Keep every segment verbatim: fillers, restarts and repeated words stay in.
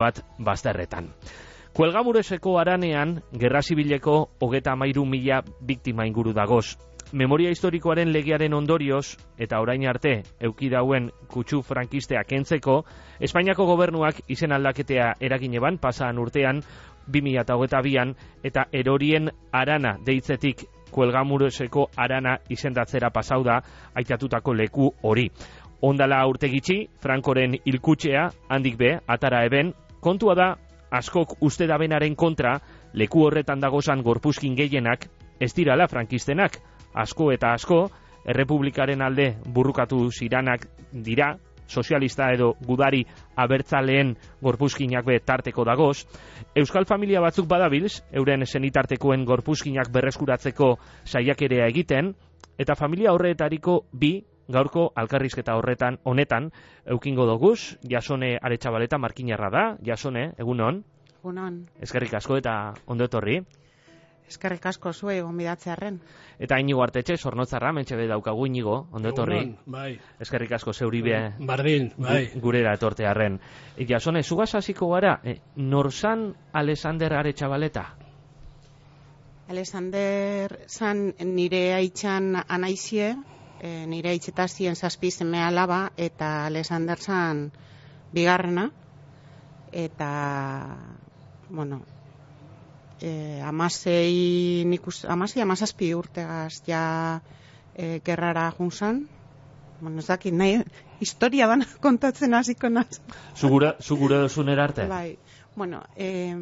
bat bazterretan. Kuelgamureseko haranean, gerra zibileko hogeta hamairu mila biktima inguru dagoz. Memoria historikoaren legearen ondorioz, eta orain arte eukidauen kutsu frankistea kentzeko, Espainiako gobernuak izen aldaketea eragin eban pasaan urtean, bi mila hogeita bian, eta erorien arana deitzetik Kuelgamureseko arana izendatzera pasau da aitatutako leku hori. Ondala urte gitxi, Frankoren hilkutxea, handik be, atara eben, kontua da, askok uste dabenaren kontra, leku horretan dagozan gorpuzkin gehienak, ez dirala frankistenak, asko eta asko, errepublikaren alde burrukatu ziranak dira, sozialista edo gudari abertzaleen gorpuzkinak be tarteko dagoz. Euskal familia batzuk badabilz, euren senitartekoen gorpuzkinak berreskuratzeko saiakerea egiten, eta familia horretariko bi, gaurko alkarrizketa horretan honetan eukingo doguz. Jasone Aretxabaleta markinarra da. Jasone, egunon. Egunon. Eskerrik asko eta ondo etorri. Eskerrik asko zuei gonbidatzearren. Eta Inigo Artetxe, Zornotzarra, mentxebe daukagu. Inigo, ondo etorri. Egunon, bai. Eskerrik asko zeuri be Bardin, bai. Gurera etortearren. E, Jasone, zugaz hasiko gara, e, norzan Alexander Aretxabaleta? Alexander zan nire haitxan anaizie, e, nire haitxetazien zazpi seme alaba, eta Alexander zan bigarrena, eta, bueno, eh, amasei, nikus, amasei amazazpi urtegaz ja eh, gerrara junzan. Bueno, ez dakit, nahi, historia dana kontatzen hasiko naz. Zugura, zugura dozunera arte? Bai, bueno, eh,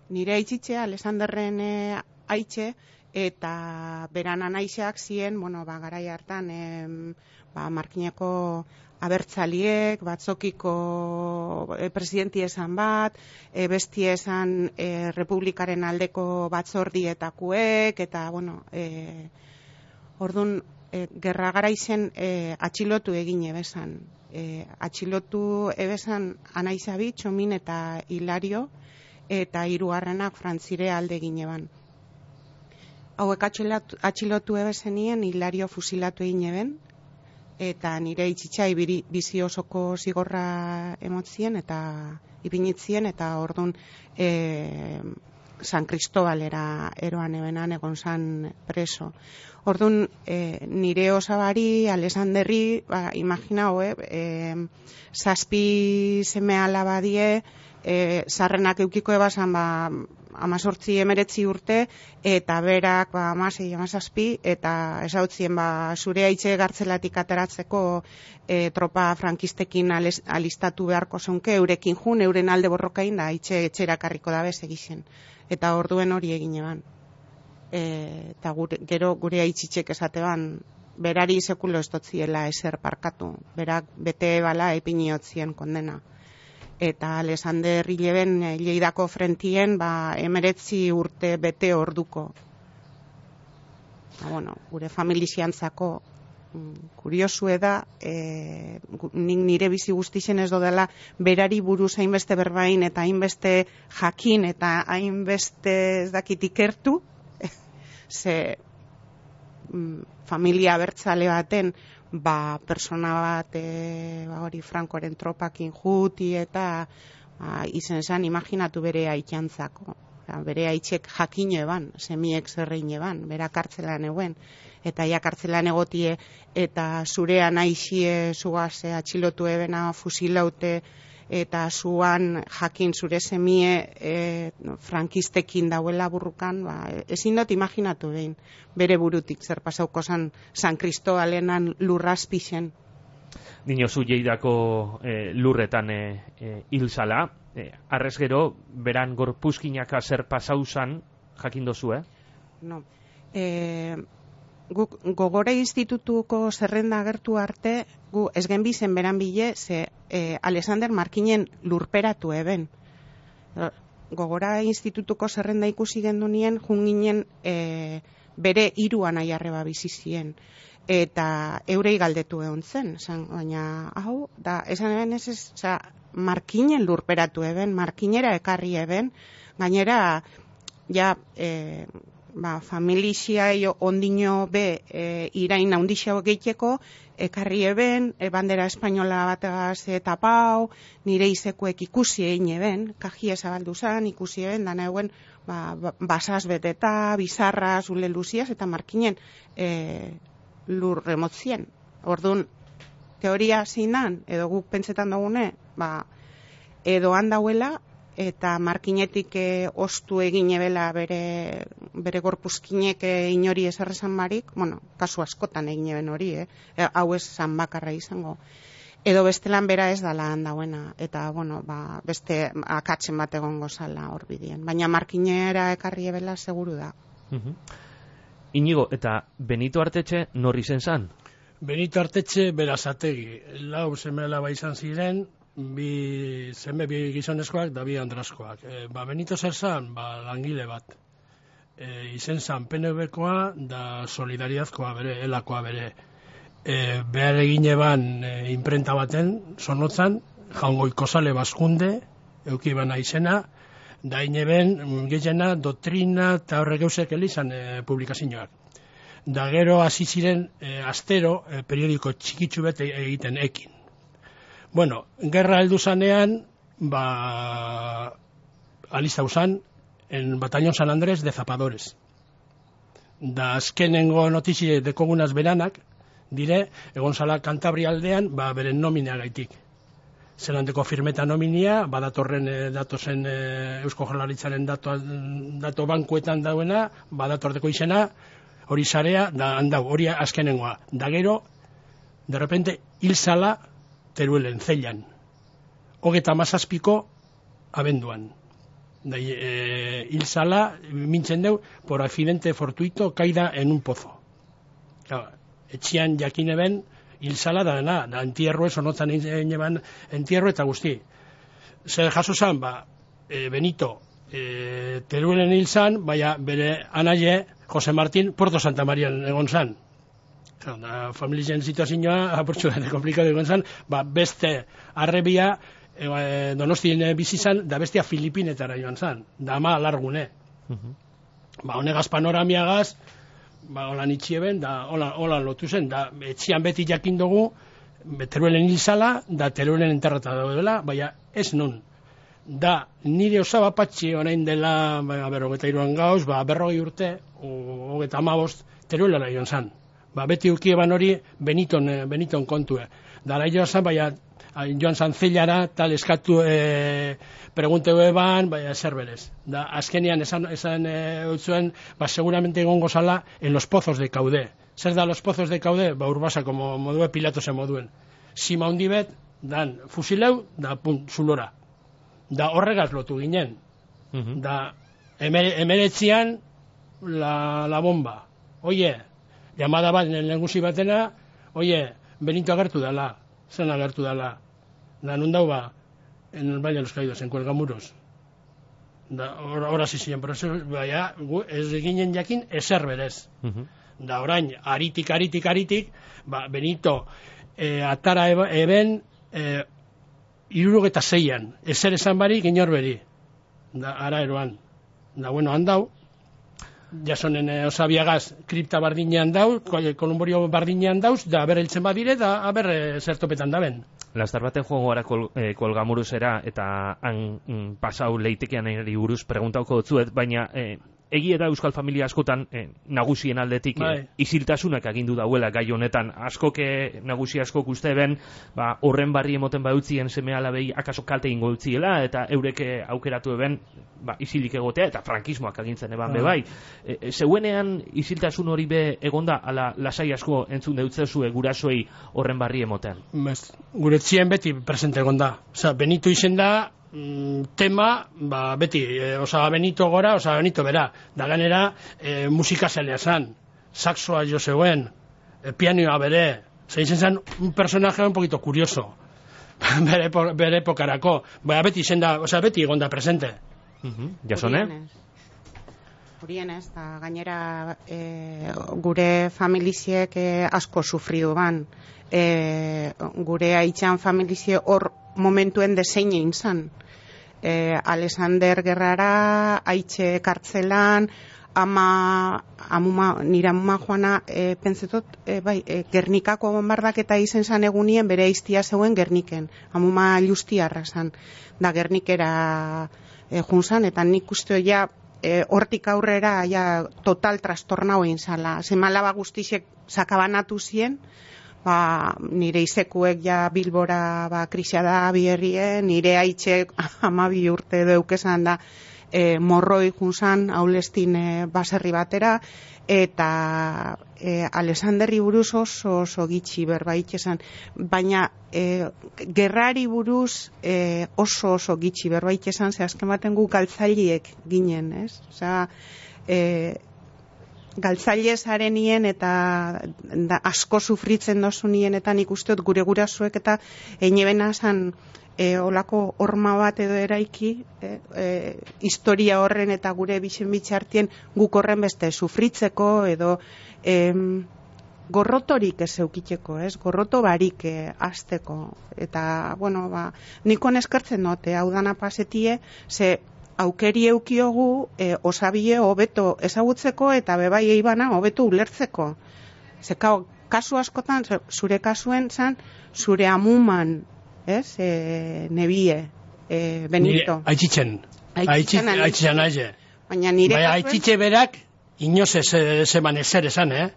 nire aitzitxe, Alexanderren eh, aitxe, eta beran anaizeak ziren, bueno, ba, garai hartan, eh, ba, markineko abertzaliek, batzokiko e, presidenti esan bat, e, besti esan e, republikaren aldeko batzordietakuek, eta, bueno, e, orduan, e, gerra garaizen e, atxilotu egin ebesan. E, atxilotu ebesan anaizabi, Txomin eta Hilario, eta hirugarrenak Frantzire alde egin eban. Hauek atxilotu, atxilotu ebesenien, Hilario fusilatu egin eben, eta nire itxitxai bizi osoko zigorra emotzien eta ipinitzien, eta orduan e, San Cristobalera eroan ebenan egon zan preso. Orduan e, nire osabari, Alexanderri, ba, imaginau, eh, e, zazpi seme alaba die, e, zarrenak eukiko ebasan, ba, amazortzi emeretzi urte, eta berak ba, amasei, amazazpi, eta esautzien ba, zure haitxe gartzelatik ateratzeko e, tropa frankistekin ales, alistatu beharko zonke, eurekin jun, euren alde borrokain, da haitxe etxerakarriko dabe segixen. Eta orduen hori egin eban. E, eta gure, gero gure haitxitxek esateban, berari sekulo ez dotziela eser parkatu, berak bete bala epiniotzien kondena. Eta Alexander hileben Lleidako frentien ba, emeretzi urte bete orduko. Ba, bueno, gure familiziantzako kuriosue da, e, nik nire bizi guztixen ez dodela berari buruz hainbeste berbain eta hainbeste jakin eta hainbeste ez dakit ikertu, ze mm, familia abertzale baten ba, persona bat e, ba, hori Frankoren tropakin juti eta ba, izen zan imaginatu bere aitxantzako. Bere aitxek jakin eban, semiek zerrein eban, bera kartzelan eguen, eta ja kartzelan egotie, eta zurean aixie zugaz atxilotu ebena fusilaute, eta zuan jakin zure semie e, frankistekin dauela burrukan, ba, ezin dut imaginatu behin, bere burutik zer pasauko zan San Cristobalenan lurrazpixen. Dinozu Lleidako e, lurretan e, e, hilzala, e, arrez gero, beran gorpuzkinaka zer pasauzan, jakin dozu, eh? No. E, guk Gogora institutuko zerrenda agertu arte, gu ez genbizen beran bile, ze e, Alexander Markinen lurperatu eben. Gogora institutuko zerrenda ikusi gendunien, junginen e, bere hiru anaiarreba bizizien. Eta eurei galdetu egon zen, esan, baina hau, da, esan eben ez ez, oza, Markinen lurperatu eben, Markinera ekarri eben, gainera, ja, e, ba, familixia ondino be e, irain handixo gehieko, ekarri eben, e, bandera espainola bategaz e, tapau, nire izekuek ikusi egin eben, kajia zabaldu zan, ikusi eben, dana eguen, ba, basaz beteta, bizarra, zule luziaz, eta markinen e, lur remotzien. Orduan, teoria zeinan, edo guk pentsetan dugune, ba, edo handauela, eta markinetik e, ostu egin ebela bere, bere gorpuzkinek e, inori eserrezan barik, bueno, kasu askotan egin eben hori, eh? E, hau ez zan bakarra izango. Edo bestelan bera ez dala handauena, eta, bueno, ba, beste akatzen bat egongo zala hor bidien. Baina markinera ekarri ebela seguru da. Uh-huh. Inigo, eta Benito Artetxe norri zen zan? Benito Artetxe berazategi, lau semela bai izan ziren, bi zeme bi gizonezkoak da bi andrazkoak. E, ba, Benito zer zan, ba, langile bat. E, izen zan P N V-koa da Solidaridadkoa bere, elakoa bere. E, behar egin eban e, imprenta baten, sonotzan, jaungoiko sale bazkunde, euki bana izena, da ineben gehiena doktrina eta horrek eusek elizan e, publikazioak. Da gero hasi ziren e, astero e, periodiko txikitsu bete egiten ekin. Bueno, gerra heldu zanean, ba, alista usan, en Batallón San Andrés de Zapadores. Da azkenengo notizie dekogunaz beranak, dire, egon zala Kantabria aldean, ba, beren nomina gaitik. Zelandeko firmeta nominia, badatorren e, datozen e, Eusko Jaurlaritzaren dato, dato bankuetan dauena, badatorteko izena, hori sarea, da handau, hori azkenengoa. Da gero, de repente, hil zala, Teruelen, Zeilan. Hogeta mazazpiko abenduan. Da, e, hil zala, mintzen deu, por accidente fortuito, caida en un pozo. Claro, etxian jakine ben, hil zala, da, na, da, entierro, sonotzan eban entierro eta guzti. Zer jaso zan, ba, e, Benito, e, Teruelen hil zan, baina bere anaie, Jose Martín, Puerto Santa Marian egon zan. Da, familien situazioa apurtxo da komplikatu egon zan, ba, beste arrebia e, Donostien bizi zan, da bestia Filipinetara joan zan, da ama alargune. Uh-huh. Ba, honegaz panoramiagaz, ba, holan itxieben, da holan, holan lotu zen, da etxian beti jakin dugu, Teruelen hil zala, da Teruelen enterrata daudela, baina ez nun. Da, nire osaba patxi orain dela, ba, berrogeta iruan gauz, ba, berrogei urte, hogeta amabost, Teruelara joan zan. Ba, beti ukieban hori Beniton, Beniton kontue. Dara joan zan, baina joan zan Zeilara, tal eskatu e, pregunteu eban, baina zer berez. Da, azkenian esan, esan e, utzuen, ba, seguramente egongo zala en los pozos de Caudé. Zer da los pozos de Caudé? Ba, urbasa, como modue Pilatose moduen. Sima hundibet, dan fusileu, da punt, zulora. Da horregaz lotu ginen. Uh-huh. Da, emeretzian, la, la bomba. Oie, llamada bat, nengusi batena, oie, Benito agertu dala, zen agertu dala. Da, nun dau ba, en el Valle de los Caídos, en Cuelgamuros. Da, hor hasi ziren, pero eso, baina, ez ginen jakin, ezer berez. Uh-huh. Da, orain, aritik, aritik, aritik, ba, Benito, e, atara eben, e, irurogeta zeian, ezer esan barik, inor beri. Da, ara eroan. Da, bueno, handau, jasonen e, osabiagaz kripta bardinean dau, kolumborio bardinean dauz, da aber eltzen badire, da aber e, zertopetan daben. Lastar baten joango gara kol, e, kolgamuruzera, eta han mm, pasau leitekean eri buruz preguntauko dutzuet, baina e, egia da euskal familia askotan e, nagusien aldetik e, isiltasunak agindu dauela gai honetan. Askoke, nagusi askok uste ben, ba, horren barri emoten bautzien seme alabei akaso kalte ingo utziela, eta eureke aukeratu eben, ba, isilik egotea, eta frankismoak agintzen eban ah. be bai. E, e, zeuenean isiltasun hori be egonda, ala lasai asko entzun deutzezue gurasoei horren barri emoten? Bez, guretzien beti presente egonda. Osa, Benito izen da, tema, ba, beti, e, osa, Benito gora, osa, Benito bera, da ganera, e, musika zelea zan, saxoa jo zeuen, e, pianoa bere, zeitzen zan, un personaje un poquito curioso, bere, bere epokarako, ba, beti izen da, osa, beti egonda presente. Uh-huh. Jasone? Hurienez, da, gainera, e, gure familiziek e, asko sufridu ban, e, gure haitxan familizie hor momentuen desein egin zan. E, Alexander Gerrara, haitxe kartzelan, ama, amuma, nire amuma joana e, pentsetot, e, bai, e, Gernikako bombardaketa izen zan egunien bere iztia zeuen Gerniken. Amuma justiarra zan, da Gernikera e, junzan, eta nik uste ja e, hortik aurrera ja total trastornau egin zala. Zemalaba guztizek sakabanatu zien, ba, nire izekuek ja Bilbora ba, krisia da bierrien, nire haitxek amabi urte deukezan da, E, morroi junzan haulestin e, baserri batera, eta e, Alexanderri buruz oso oso gitxi berbait esan, baina e, gerrari buruz e, oso oso gitxi berbait esan, ze azken baten gu galtzaileek ginen, ez? Osea, e, galtzaile zarenien eta da, asko sufritzen dozu nien, eta nik usteot gure gurasuek eta einebena zan E, olako horma bat edo eraiki, e, e, historia horren eta gure bixen bitxartien guk horren beste sufritzeko edo e, gorrotorik ez eukiteko, ez? Gorroto barik e, azteko. Eta, bueno, ba, nikon eskertzen note, hau dana pasetie, ze aukeri eukiogu e, osabie hobeto ezagutzeko eta bebai eibana hobeto ulertzeko. Ze, kao, kasu askotan, zure kasuen zan, zure amuman, ez, e, nebie, e, Benito. Aitzitxen. Aitzitxen aize. Baina nire Baina aitzitxe berak, inoz ez eman ezer esan, eh?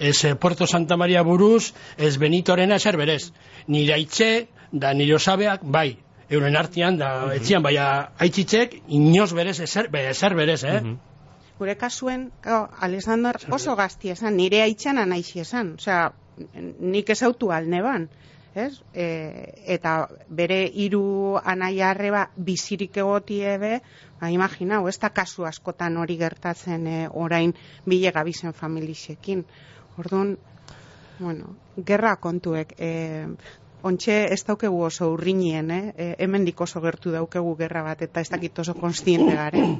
Ez Puerto Santa Maria buruz, ez Benitorena ezer berez. Nire aitxe, da nire osabeak, bai, euren artian, da uh-huh. etzian, baina aitzitxek, inoz berez ezer, ezer berez, eh? Uh-huh. Gure kasuen, oh, Alexander oso gazti esan, nire aitxana naixi esan. Osea, nik ezautu alneban. Ez? E, eta bere hiru anaia arreba bizirik egotie be, ba, imaginau, ez da kasu askotan hori gertatzen e, orain bile gabizen familixekin. Orduan, bueno, gerra kontuek, e, ontxe ez daukegu oso urrinien, eh? E, hemendik oso gertu daukegu gerra bat, eta ez dakit oso konstiente garen.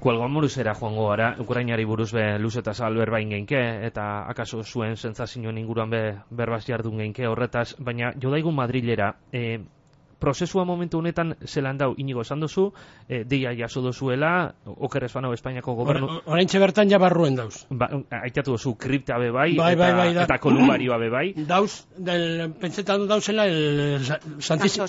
Kuelgoan buruzera joango gara, Ukrainari buruz be luz eta zabal berbain geinke, eta akaso zuen sentsazioen inguruan be berbaz jardun geinke horretaz, baina jodaigun Madrilera, e, prozesua momentu honetan zelan dau, Inigo esan duzu, e, deia jaso dozuela, okerrez bano Espainiako gobernu... Oraintxe bertan ja barruen dauz. Ba, aitatu duzu kripta be bai, bai, eta, bai, bai, da. eta kolumbarioa be bai. Dauz, del, pentsetan dauzela el Santísimo,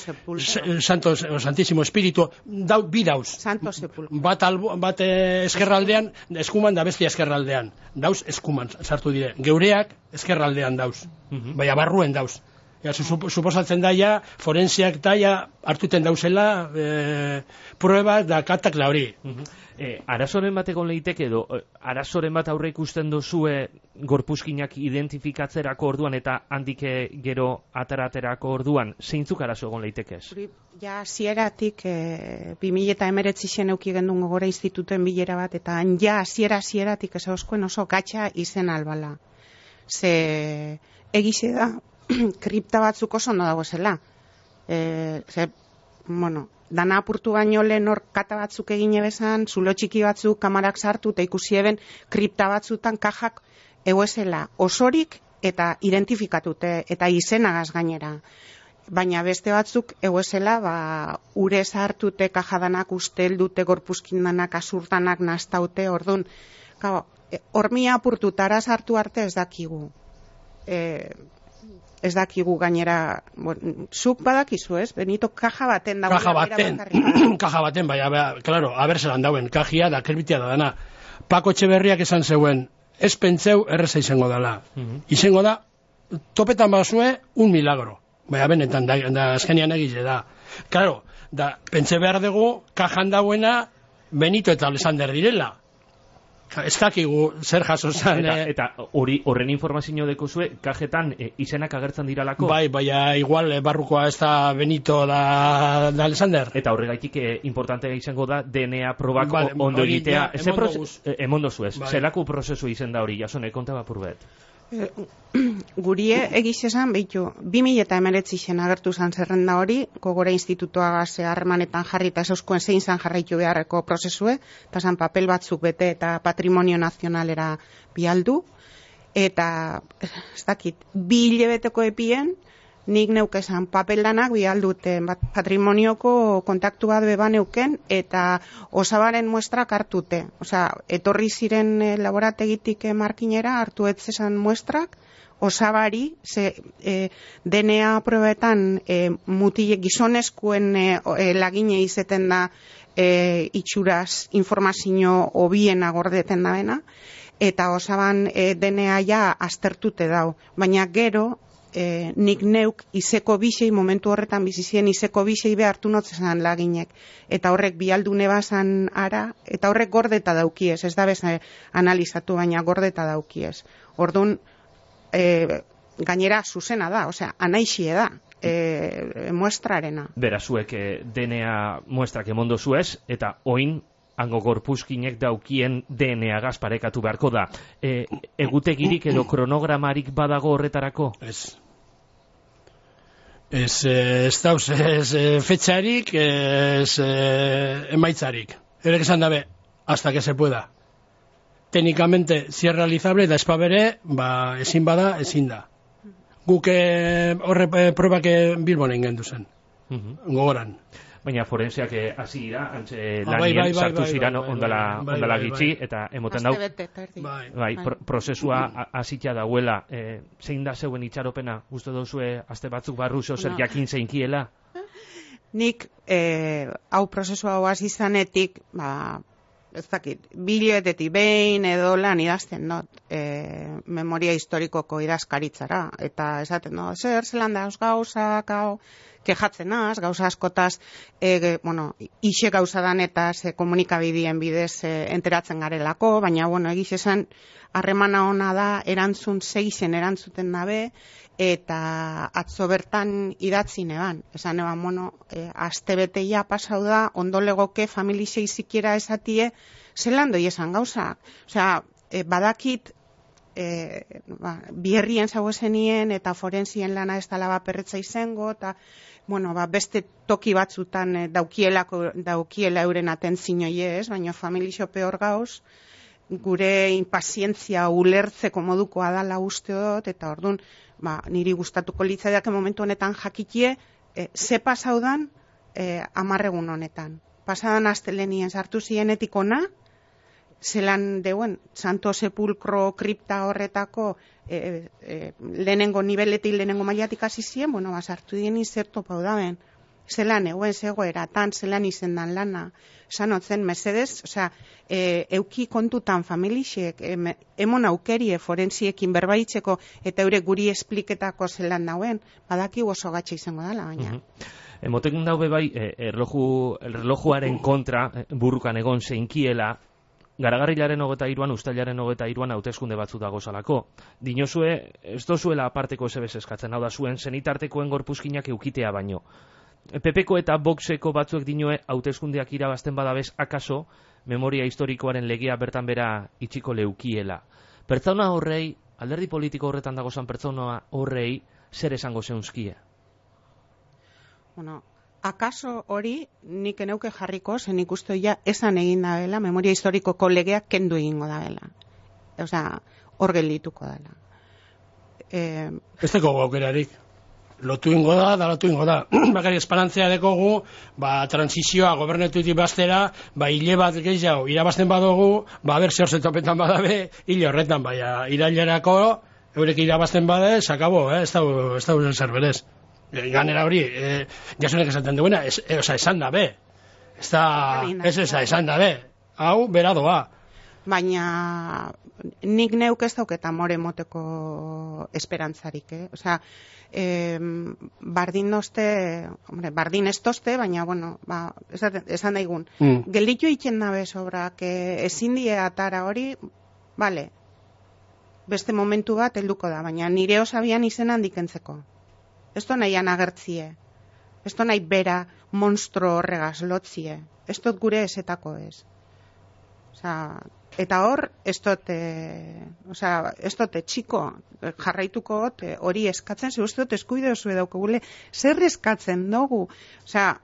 Santo, Santísimo Espíritu, dau, bi dauz. Santo Sepulcro. Bat, albo, bat eh, eskerraldean, eskuman da bestia eskerraldean. Dauz, eskuman sartu dire. Geureak eskerraldean dauz. Uh-huh. Baina barruen dauz. Ja, suposatzen daia, forensiak daia hartuten dauzela e, pruebak da katakla hori. Uh-huh. e, arazoren bat egon leiteke edo, arazoren bat aurre ikusten dozue gorpuzkinak identifikatzerako orduan eta handike gero ataraterako orduan, zeintzuk arazo egon leitekez? Ja, zieratik, e, bi mila hemeretzi zen euki gendun gogora institutuen bilera bat, eta ja, ziera zieratik ez oskoen oso gatxa izen albala. Ze egize da, kripta batzuk oso no dagoezela. E, ze, bueno, dana apurtu baino lehen hor kata batzuk egin ebezan, zulo txiki batzuk kamarak sartu, eta ikusi eben kripta batzutan kajak egoezela osorik eta identifikatute, eta izenagaz gainera. Baina beste batzuk egoezela, ba, ure sartute kajadanak ustel dute, gorpuzkin danak, azurtanak nastaute, orduan, hormia apurtu tara sartu arte ez dakigu. E, ez dakigu gainera, bon, zuk badakizu, ez? Benito, kaja baten dago. Kaja baten, kaja baten, bai, aber, claro, aber zelan dauen, kajia da, kerbitia da dana. Pako Etxeberriak esan zeuen, ez pentseu erreza izango dela. Uh-huh. Izango da, topetan bazue, un milagro. Baina benetan, da, da azkenian egize da. Claro, da, pentsa behar dugu, kajan dauena, Benito eta Alexander direla. Ez dakigu zer jaso zan. Eta, eh? eta hori horren informazio dekozue, kajetan e, izenak agertzen diralako? Bai, baina igual e, barrukoa ez da Benito da, da Alexander. Eta horregaitik e, importantea izango da D N A probak ba, ondo egitea. Ja, emondoguz. E, emondozuz ez. Bai. Zelako prozesu izen da hori, jasone, konta bapurbet. E, gurie egiz esan, behitu, bi mila eta emeretzi zen agertu zan zerrenda hori, gogora institutoa gaze harremanetan jarri eta euskuen zein zan jarraitu beharreko prozesue, eta zan papel batzuk bete eta patrimonio nazionalera bialdu, eta ez dakit, bi hilabeteko epien, nik neukezan papeldanak bihaldute patrimonioko kontaktu bat beba neuken eta osabaren muestrak hartute. Osea, etorri ziren e, laborategitik e, markinera hartu etzezan muestrak, osabari, ze e, D N A probetan e, mutile gizoneskuen e, e, lagine izeten da e, itxuraz informazio hobiena gordeten da bena, eta osaban e, D N A ja aztertute dau. Baina gero, e, nik neuk izeko bisei, momentu horretan bizizien izeko bisei behartu notzezan laginek. Eta horrek bialdune bazan ara, eta horrek gordeta daukiez, ez da bez analizatu, baina gordeta daukiez. Orduan, E, gainera zuzena da, osea, anaixie da e, muestrarena. Bera, zuek e, D N A muestrak emondo zuez, eta oin hango gorpuzkinek daukien D N A gaz parekatu beharko da. E, egutegirik edo kronogramarik badago horretarako? Ez. Ez, ez dauz, ez fetxarik, ez emaitzarik. Erek esan dabe, hasta que se pueda. Técnicamente si es realizable, da espabere, ba, ezin bada, ezin da. Guk horre eh, probak Bilbon egin zen, uh -huh. gogoran. Baina forenseak hasi dira, antxe ah, lanien bai, bai, sartu bai, ziran bai, ondala, bai, ondala bai, gitxi, bai. Eta emoten dau, bai, bai, pro prozesua hasita dauela. E, zein da zeuen itxaropena, uste duzue, aste batzuk barru zeo zer no. jakin zeinkiela? Nik, eh, hau prozesua hau hasi zanetik, ba, ez dakit, biletetik behin edo lan idazten dut e, memoria historikoko idazkaritzara, eta esaten dut, zer zelan da gauzak, hau, kejatzen az, gauza askotaz, e, bueno, ixe gauza danetaz e, komunikabidien bidez e, enteratzen garelako, baina, bueno, egiz esan, harremana ona da, erantzun seixen erantzuten dabe, eta atzo bertan idatzi neban. Esan eban, bueno, e, astebete ja pasau da, ondo legoke familisei zikiera esatie, zelan doi esan gauzak. Osea, e, badakit, e, ba, bierrien zau esenien, eta forensien lana ez dala baperretza izango, eta, bueno, ba, beste toki batzutan e, daukielako, daukiela euren atentzinoie ez, baina familixo peor gauz, gure impazientzia ulertzeko modukoa dala uste dut, eta orduan, ba, niri gustatuko litzaidak momentu honetan jakikie, e, ze pasaudan e, amarregun honetan. Pasadan astelenien sartu zienetik ona, zelan deuen, Santo Sepulcro kripta horretako e, e, lehenengo nibeletik, lehenengo mailatik hasi zien, bueno, ba, sartu dien izerto paudaben. Zelan euen zegoeratan, zelan izendan lana, sanotzen, mesedez, osea, e, euki kontutan familixek, e, emon aukerie forensiekin berbaitzeko, eta eure guri espliketako zelan dauen, badaki oso gatxe izango dela, baina. Uh -huh. Emoten daube bai, e, erloju, erlojuaren kontra, e, burrukan egon zeinkiela, Garagarrilaren hogeta iruan, ustailaren hogeta iruan hauteskunde batzu dago zalako. Dinozue, ez dozuela aparteko ezebez eskatzen, hau da zuen, zenitartekoen gorpuzkinak eukitea baino. Pepeko eta Voxeko batzuek dinoe hauteskundeak irabazten badabez akaso memoria historikoaren legea bertan bera itxiko leukiela. Pertsona horrei, alderdi politiko horretan dagozan pertsona horrei, zer esango zeunzkie? Bueno, akaso hori nik eneuke jarriko, zen ikustu ja esan egin da dela, memoria historikoko legeak kendu egingo da dela. Osea, hor geldituko dela. Eh, ez dago aukerarik. Lotu ingo da, da lotu ingo da. Bakari esperantzia dekogu, ba, transizioa gobernetutik bastera, ba, hile bat gehiago irabazten badugu, ba, ber, zer zetopetan badabe, hile horretan, baina, irailerako, eurek irabazten bade, sakabo, eh? ez dago, ez dago zer berez. E, ganera hori, e, jasunek esaten duena, es, e, oza, esan da be. Ez da, ez eza, esan da be. Hau, beradoa. Baina nik neuk ez dauketa more moteko esperantzarik, eh? Osea, eh, bardin dozte, hombre, bardin ez dozte, baina, bueno, ba, esan, esan daigun. Mm. Gelditu iken dabe sobrak, eh, ezin die atara hori, bale, beste momentu bat helduko da, baina nire osabian izen handikentzeko. Ez do nahian agertzie, ez do nahi bera monstro horregaz lotzie, ez dut gure esetako ez. Osea, eta hor, ez dote, osea, ez dote txiko jarraituko hori eskatzen, ze uste dut eskuide oso edaukagule, zer eskatzen dugu? Osea,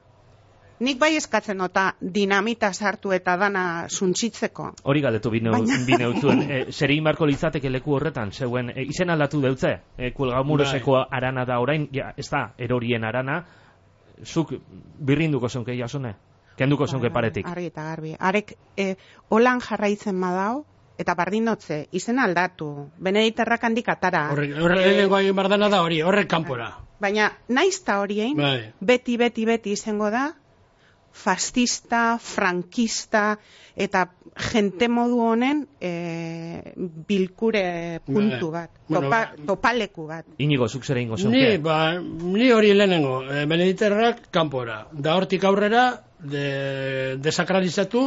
nik bai eskatzen nota dinamita sartu eta dana suntsitzeko. Hori galdetu bineutzuen, e, zer egin barko litzateke leku horretan, zeuen, e, izen aldatu deutze, e, Kuelgamuroseko arana da orain, ja, ez da, erorien arana, zuk birrinduko zonke Jasone, kenduko zonke paretik. Argi eta garbi, arek e, holan jarraitzen badau, eta bardinotze, izen aldatu, Benediterrak handik atara. Horrek, horrek lehenengo egin bardana da hori, horrek kanpora. Baina, naizta horien, bai. beti, beti, beti izango da, fascista, frankista, eta jente modu honen e, bilkure puntu bat, bueno, topa, topaleku bat. Inigo, zuk zer egingo zonke? Ni, ba, ni hori lehenengo, e, Benediterrak kanpora, da hortik aurrera, de, desakralizatu,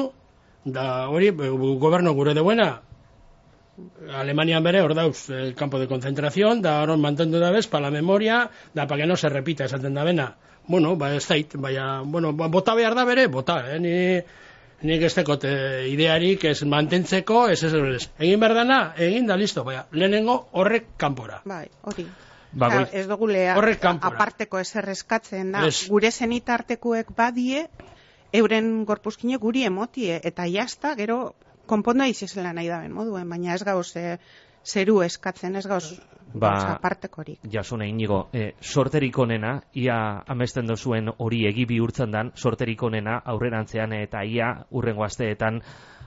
da hori, gobernu gure deuena, Alemanian bere, hor dauz, el campo de concentración, da hor mantendu da bez, pa la memoria, da pa que no se repita esaten da bena. Bueno, ba ez dait, baina, bueno, bota behar da bere, bota, eh, ni, nik ez tekote idearik ez mantentzeko, ez ez ez. Egin behar dana, egin da, listo, baina, lehenengo horrek kanpora. Bai, hori. Ba, Claro, ez dugule horrek kanpora. aparteko ezer eskatzen da, Ez. gure zenitartekuek badie, euren gorpuzkine guri emotie, eta jazta, gero, konponda izizela nahi daben moduen, baina ez gauz e, zeru eskatzen, ez gauz Ba, apartekorik. Jasone, Inigo, e, sorterik onena, ia amesten dozuen hori egi bihurtzen dan, sorterik onena aurrerantzean eta ia urrengo asteetan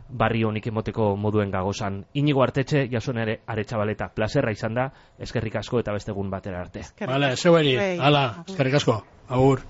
barri honik emoteko moduen gagozan. Inigo Artetxe, Jasone ere Aretxabaleta, plazerra izan da, eskerrik asko eta beste egun batera arte. Eskerrik Vale, asko. zeueri, Bai. hala, eskerrik asko, agur.